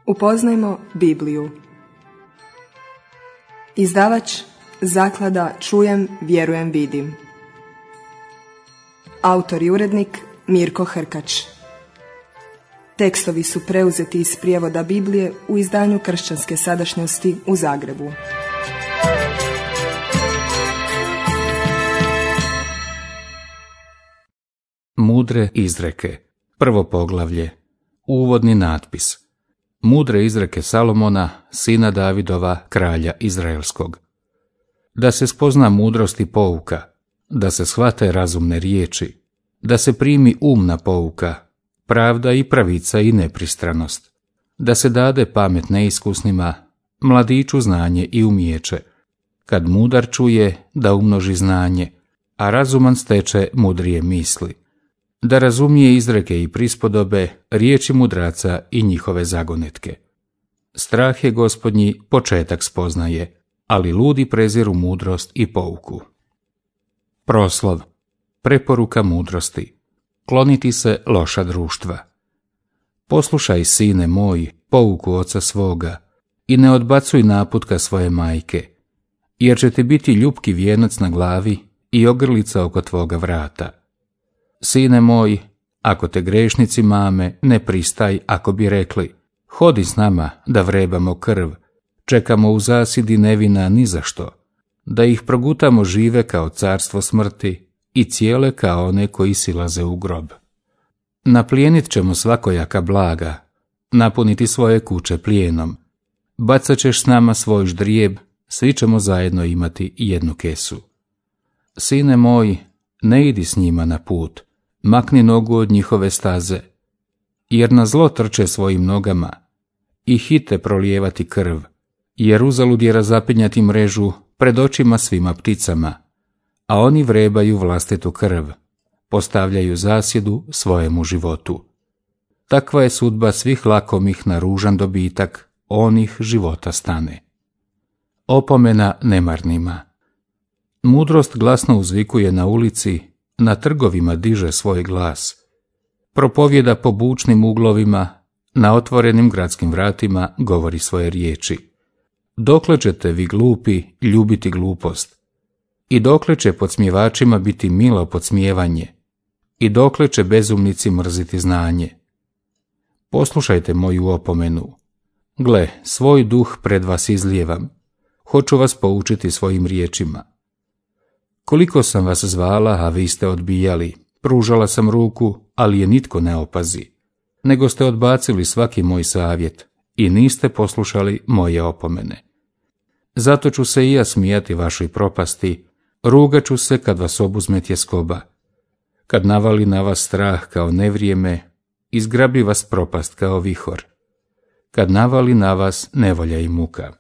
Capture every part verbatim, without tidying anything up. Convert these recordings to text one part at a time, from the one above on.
Upoznajmo Bibliju. Izdavač Zaklada Čujem, vjerujem, vidim. Autor i urednik Mirko Hrkač. Tekstovi su preuzeti iz prijevoda Biblije u izdanju Kršćanske sadašnjosti u Zagrebu. Mudre izreke. Prvo poglavlje. Uvodni natpis. Mudre izreke Salomona, sina Davidova, kralja Izraelskog. Da se spozna mudrost i pouka, da se shvate razumne riječi, da se primi umna pouka, pravda i pravica i nepristranost, da se dade pamet neiskusnima, mladiću znanje i umijeće, kad mudar čuje da umnoži znanje, a razuman steče mudrije misli, da razumije izreke i prispodobe, riječi mudraca i njihove zagonetke. Strah je Gospodnji početak spoznaje, ali ludi preziru mudrost i pouku. Proslov. Preporuka mudrosti. Kloniti se loša društva. Poslušaj, sine moj, pouku oca svoga i ne odbacuj naputka svoje majke, jer će ti biti ljupki vijenac na glavi i ogrlica oko tvoga vrata. Sine moj, ako te grešnici mame, ne pristaj ako bi rekli, hodi s nama da vrebamo krv, čekamo u zasidi nevina ni za što, da ih progutamo žive kao carstvo smrti i cijele kao one koji silaze u grob. Naplijenit ćemo svakojaka blaga, napuniti svoje kuće plijenom, bacat ćeš s nama svoj ždrijeb, svi ćemo zajedno imati jednu kesu. Sine moj, ne idi s njima na put, makni nogu od njihove staze, jer na zlo trče svojim nogama i hite prolijevati krv, jer uzalud je razapinjati mrežu pred očima svima pticama, a oni vrebaju vlastitu krv, postavljaju zasjedu svojemu životu. Takva je sudba svih lakomih na ružan dobitak, onih života stane. Opomena nemarnima. Mudrost glasno uzvikuje na ulici, na trgovima diže svoj glas, propovjeda po bučnim uglovima, na otvorenim gradskim vratima govori svoje riječi. Dokle ćete vi glupi ljubiti glupost? I dokle će podsmjevačima biti milo podsmijevanje? I dokle će bezumnici mrziti znanje? Poslušajte moju opomenu. Gle, svoj duh pred vas izlijevam. Hoću vas poučiti svojim riječima. Koliko sam vas zvala, a vi ste odbijali, pružala sam ruku, ali je nitko ne opazi, nego ste odbacili svaki moj savjet i niste poslušali moje opomene. Zato ću se i ja smijati vašoj propasti, rugat ću se kad vas obuzme tjeskoba. Kad navali na vas strah kao nevrijeme, izgrabi vas propast kao vihor. Kad navali na vas nevolja i muka.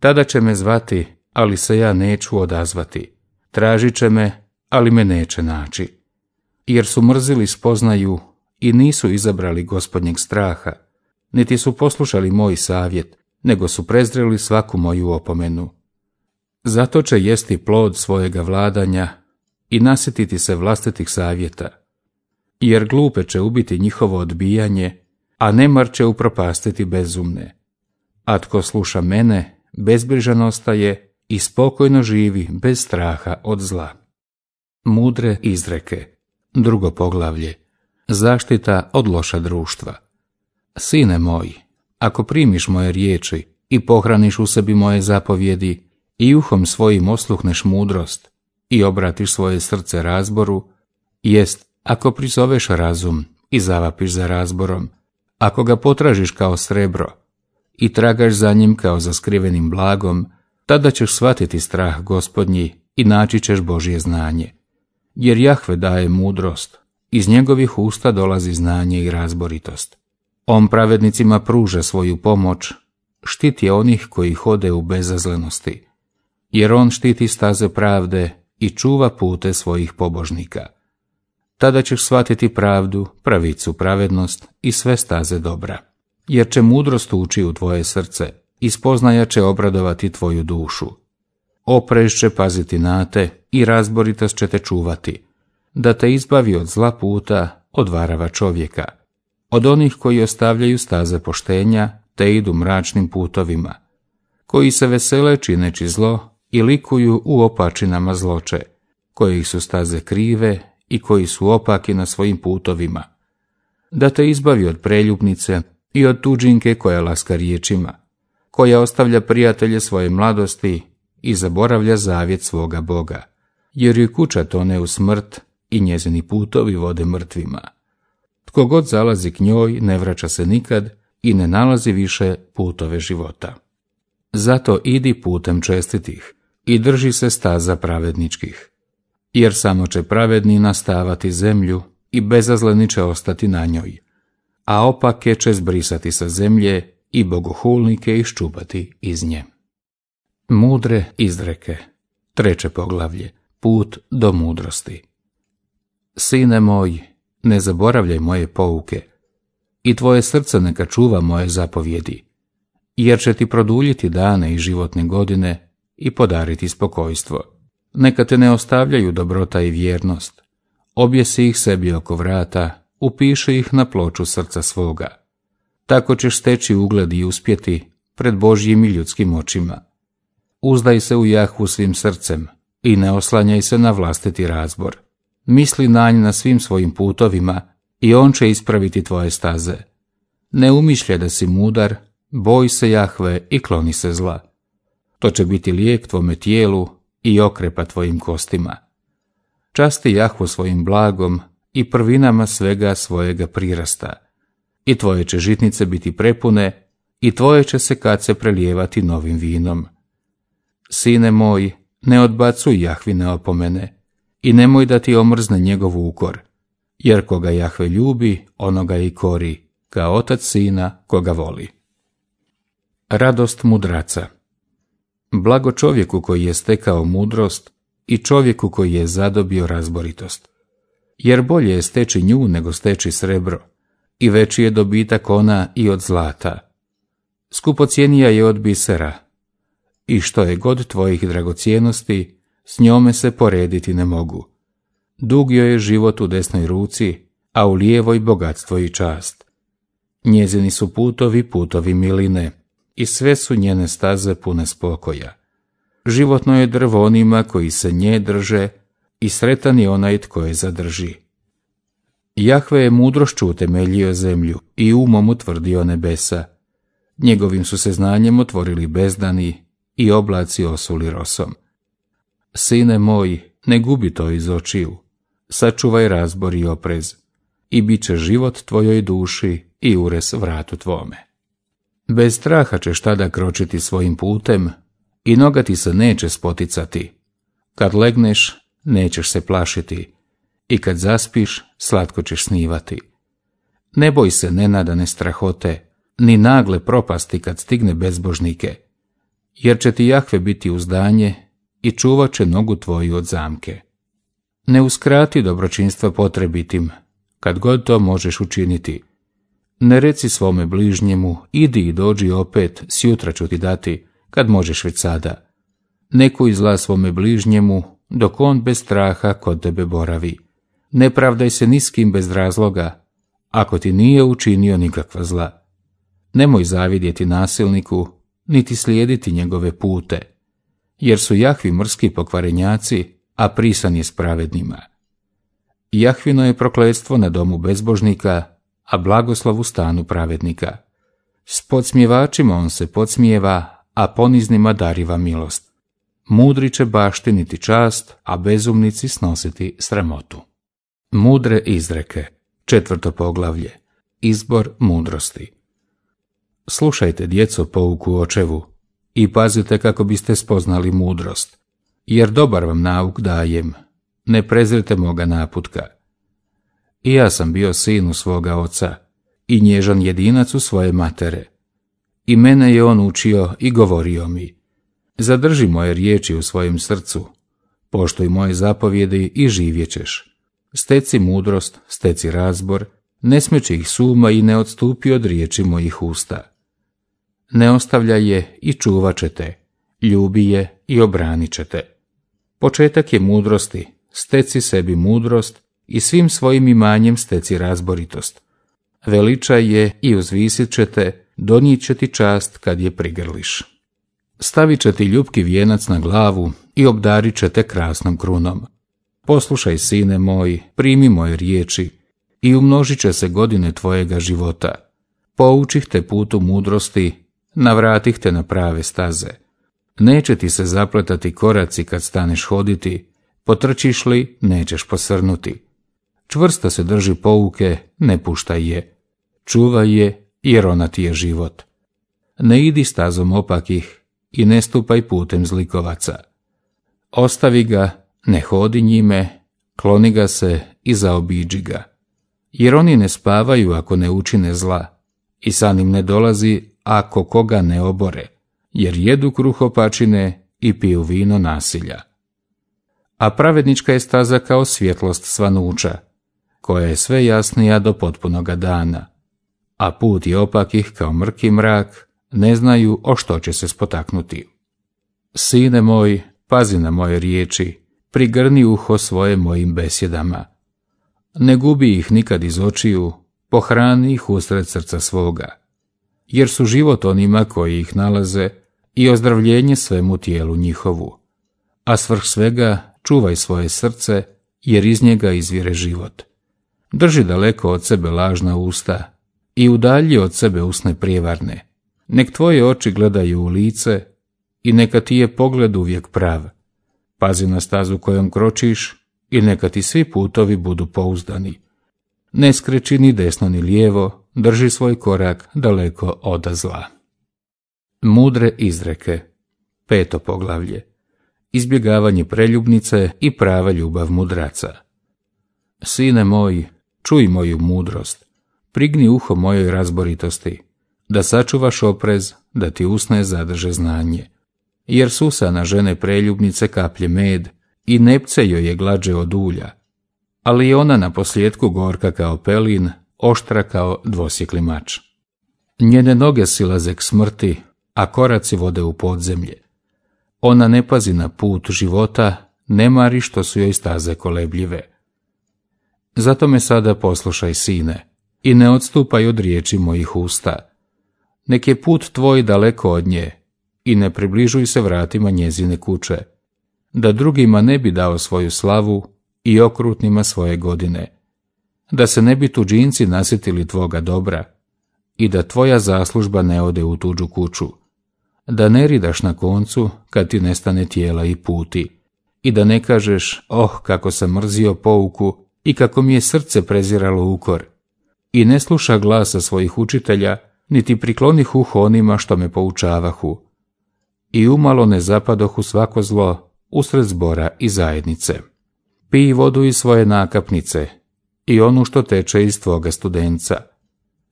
Tada će me zvati, ali se ja neću odazvati. Tražit će me, ali me neće naći. Jer su mrzili spoznaju i nisu izabrali Gospodnjeg straha, niti su poslušali moj savjet, nego su prezreli svaku moju opomenu. Zato će jesti plod svojega vladanja i nasjetiti se vlastitih savjeta, jer glupe će ubiti njihovo odbijanje, a nemar će upropastiti bezumne. A tko sluša mene, bezbrižan ostaje i spokojno živi bez straha od zla. Mudre izreke. Drugo poglavlje. Zaštita od loša društva. Sine moj, ako primiš moje riječi i pohraniš u sebi moje zapovjedi i uhom svojim osluhneš mudrost i obratiš svoje srce razboru, jest, ako prizoveš razum i zavapiš za razborom, ako ga potražiš kao srebro i tragaš za njim kao za skrivenim blagom, tada ćeš shvatiti strah Gospodnji i naći ćeš Božje znanje. Jer Jahve daje mudrost, iz njegovih usta dolazi znanje i razboritost. On pravednicima pruža svoju pomoć, štiti onih koji hode u bezazlenosti, jer on štiti staze pravde i čuva pute svojih pobožnika. Tada ćeš shvatiti pravdu, pravicu, pravednost i sve staze dobra, jer će mudrost ući u tvoje srce i spoznaja će obradovati tvoju dušu. Oprez će paziti na te i razboritost će te čuvati, da te izbavi od zla puta, od varava čovjeka, od onih koji ostavljaju staze poštenja te idu mračnim putovima, koji se vesele čineći zlo i likuju u opačinama zloče, kojih su staze krive i koji su opaki na svojim putovima, da te izbavi od preljubnice i od tuđinke koja laska riječima, koja ostavlja prijatelje svoje mladosti i zaboravlja zavjet svoga Boga, jer joj kuća tone u smrt i njezini putovi vode mrtvima. Tko god zalazi k njoj ne vraća se nikad i ne nalazi više putove života. Zato idi putem čestitih i drži se staza pravedničkih, jer samo će pravedni nastavati zemlju i bezazleni će ostati na njoj, a opake će zbrisati sa zemlje i bogohulnike iščupati iz nje. Mudre izreke. Treće poglavlje. Put do mudrosti. Sine moj, ne zaboravljaj moje pouke i tvoje srce neka čuva moje zapovjedi, jer će ti produljiti dane i životne godine i podariti spokojstvo. Neka te ne ostavljaju dobrota i vjernost. Objesi ih sebi oko vrata, upiši ih na ploču srca svoga. Tako ćeš steći ugled i uspjeti pred Božjim i ljudskim očima. Uzdaj se u Jahvu svim srcem i ne oslanjaj se na vlastiti razbor. Misli na nj na svim svojim putovima i on će ispraviti tvoje staze. Ne umišljaj da si mudar, boj se Jahve i kloni se zla. To će biti lijek tvome tijelu i okrepa tvojim kostima. Časti Jahvu svojim blagom i prvinama svega svojega prirasta. I tvoje će žitnice biti prepune i tvoje će se kace prelijevati novim vinom. Sine moj, ne odbacuj Jahvine opomene i nemoj da ti omrzne njegov ukor, jer koga Jahve ljubi, onoga i kori, kao otac sina koga voli. Radost mudraca. Blago čovjeku koji je stekao mudrost i čovjeku koji je zadobio razboritost, jer bolje je steći nju nego steći srebro, i veći je dobitak ona i od zlata. Skupocjenija je od bisera, i što je god tvojih dragocjenosti, s njome se porediti ne mogu. Dug joj je život u desnoj ruci, a u lijevoj bogatstvo i čast. Njezini su putovi putovi miline, i sve su njene staze pune spokoja. Životno je drvo onima koji se nje drže, i sretan je onaj tko je zadrži. Jahve je mudrošću utemeljio zemlju i umom utvrdio nebesa. Njegovim su se znanjem otvorili bezdani i oblaci osuli rosom. Sine moj, ne gubi to iz očiju, sačuvaj razbor i oprez, i bit će život tvojoj duši i ures vratu tvome. Bez straha ćeš tada kročiti svojim putem i noga ti se neće spoticati. Kad legneš, nećeš se plašiti, i kad zaspiš, slatko ćeš snivati. Ne boj se nenadane strahote, ni nagle propasti kad stigne bezbožnike, jer će ti Jahve biti uzdanje i čuvat će nogu tvoju od zamke. Ne uskrati dobročinstva potrebitim, kad god to možeš učiniti. Ne reci svome bližnjemu, idi i dođi opet, sjutra ću ti dati, kad možeš već sada. Ne kuj zla svome bližnjemu, dok on bez straha kod tebe boravi. Ne pravdaj se ni s kim bez razloga, ako ti nije učinio nikakva zla. Nemoj zavidjeti nasilniku, niti slijediti njegove pute, jer su Jahvi mrski pokvarenjaci, a prisan je s pravednima. Jahvino je prokletstvo na domu bezbožnika, a blagoslov u stanu pravednika. S podsmjevačima on se podsmijeva, a poniznima dariva milost. Mudri će baštiniti čast, a bezumnici snositi sramotu. Mudre izreke. Četvrto poglavlje. Izbor mudrosti. Slušajte, djeco, pouku očevu i pazite kako biste spoznali mudrost, jer dobar vam nauk dajem, ne prezrite moga naputka. I ja sam bio sin u svoga oca i nježan jedinac u svoje matere. I mene je on učio i govorio mi, zadrži moje riječi u svojem srcu, poštuj moje zapovjedi i živjećeš. Steci mudrost, steci razbor, ne smeći ih suma i ne odstupi od riječi mojih usta. Ne ostavljaj je i čuvat ćete, ljubi je i obranit ćete. Početak je mudrosti, steci sebi mudrost i svim svojim imanjem steci razboritost. Veličaj je i uzvisit ćete donijet će ti čast kad je prigrliš. Stavit će ti ljubki vijenac na glavu i obdarit će te krasnom krunom. Poslušaj, sine moj, primi moje riječi i umnožit će se godine tvojega života. Poučih te putu mudrosti, navratih te na prave staze. Neće ti se zapletati koraci kad staneš hoditi, potrčiš li, nećeš posrnuti. Čvrsto se drži pouke, ne puštaj je. Čuvaj je, jer ona ti je život. Ne idi stazom opakih i ne stupaj putem zlikovaca. Ostavi ga, ne hodi njime, kloni ga se i zaobiđi ga. Jer oni ne spavaju ako ne učine zla, i sa njim ne dolazi ako koga ne obore, jer jedu kruh opačine i piju vino nasilja. A pravednička je staza kao svjetlost svanuća, koja je sve jasnija do potpunoga dana, a put je opakih kao mrki mrak, ne znaju o što će se spotaknuti. Sine moj, pazi na moje riječi, prigrni uho svoje mojim besjedama. Ne gubi ih nikad iz očiju, pohrani ih usred srca svoga, jer su život onima koji ih nalaze i ozdravljenje svemu tijelu njihovu. A svrh svega čuvaj svoje srce, jer iz njega izvire život. Drži daleko od sebe lažna usta i udalji od sebe usne prijevarne. Nek tvoje oči gledaju u lice i neka ti je pogled uvijek prav. Pazi na stazu kojom kročiš i neka ti svi putovi budu pouzdani. Ne skreći ni desno ni lijevo, drži svoj korak daleko od zla. Mudre izreke. Peto poglavlje. Izbjegavanje preljubnice i prava ljubav mudraca. Sine moj, čuj moju mudrost, prigni uho mojoj razboritosti, da sačuvaš oprez, da ti usne zadrže znanje. Jer susa na žene preljubnice kaplje med i nepce joj je glađe od ulja, ali je ona na posljedku gorka kao pelin, oštra kao dvosjekli mač. Njene noge silaze k smrti, a koraci vode u podzemlje. Ona ne pazi na put života, ne mari što su joj staze kolebljive. Zato me sada poslušaj, sine, i ne odstupaj od riječi mojih usta. Nek je put tvoj daleko od nje i ne približuj se vratima njezine kuće, da drugima ne bi dao svoju slavu i okrutnima svoje godine, da se ne bi tuđinci nasjetili tvoga dobra i da tvoja zaslužba ne ode u tuđu kuću, da ne ridaš na koncu kad ti nestane tijela i puti i da ne kažeš, oh, kako sam mrzio pouku i kako mi je srce preziralo ukor, i ne sluša glasa svojih učitelja, niti priklonih uho onima što me poučavahu, i umalo ne zapadoh u svako zlo usred zbora i zajednice. Pij vodu iz svoje nakapnice i onu što teče iz tvoga studenca.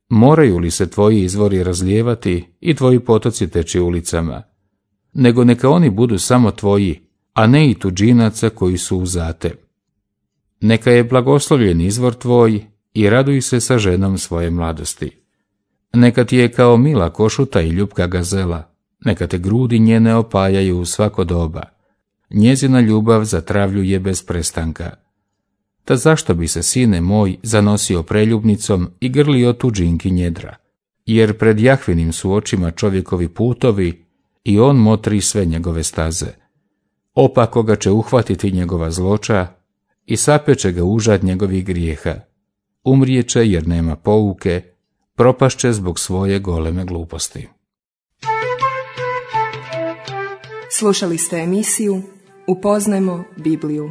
Moraju li se tvoji izvori razlijevati i tvoji potoci teći ulicama? Nego neka oni budu samo tvoji, a ne i tuđinaca koji su uzate. Neka je blagoslovljen izvor tvoj i raduj se sa ženom svoje mladosti. Neka ti je kao mila košuta i ljubka gazela, neka te grudi njene opajaju u svako doba. Njezina ljubav zatravljuje bez prestanka. Ta zašto bi se, sine moj, zanosio preljubnicom i grlio tuđinki njedra? Jer pred Jahvinim su očima čovjekovi putovi i on motri sve njegove staze. Opako ga će uhvatiti njegova zloča i sapeće ga užad njegovih grijeha. Umrijeće jer nema pouke, propašće zbog svoje goleme gluposti. Slušali ste emisiju Upoznajmo Bibliju.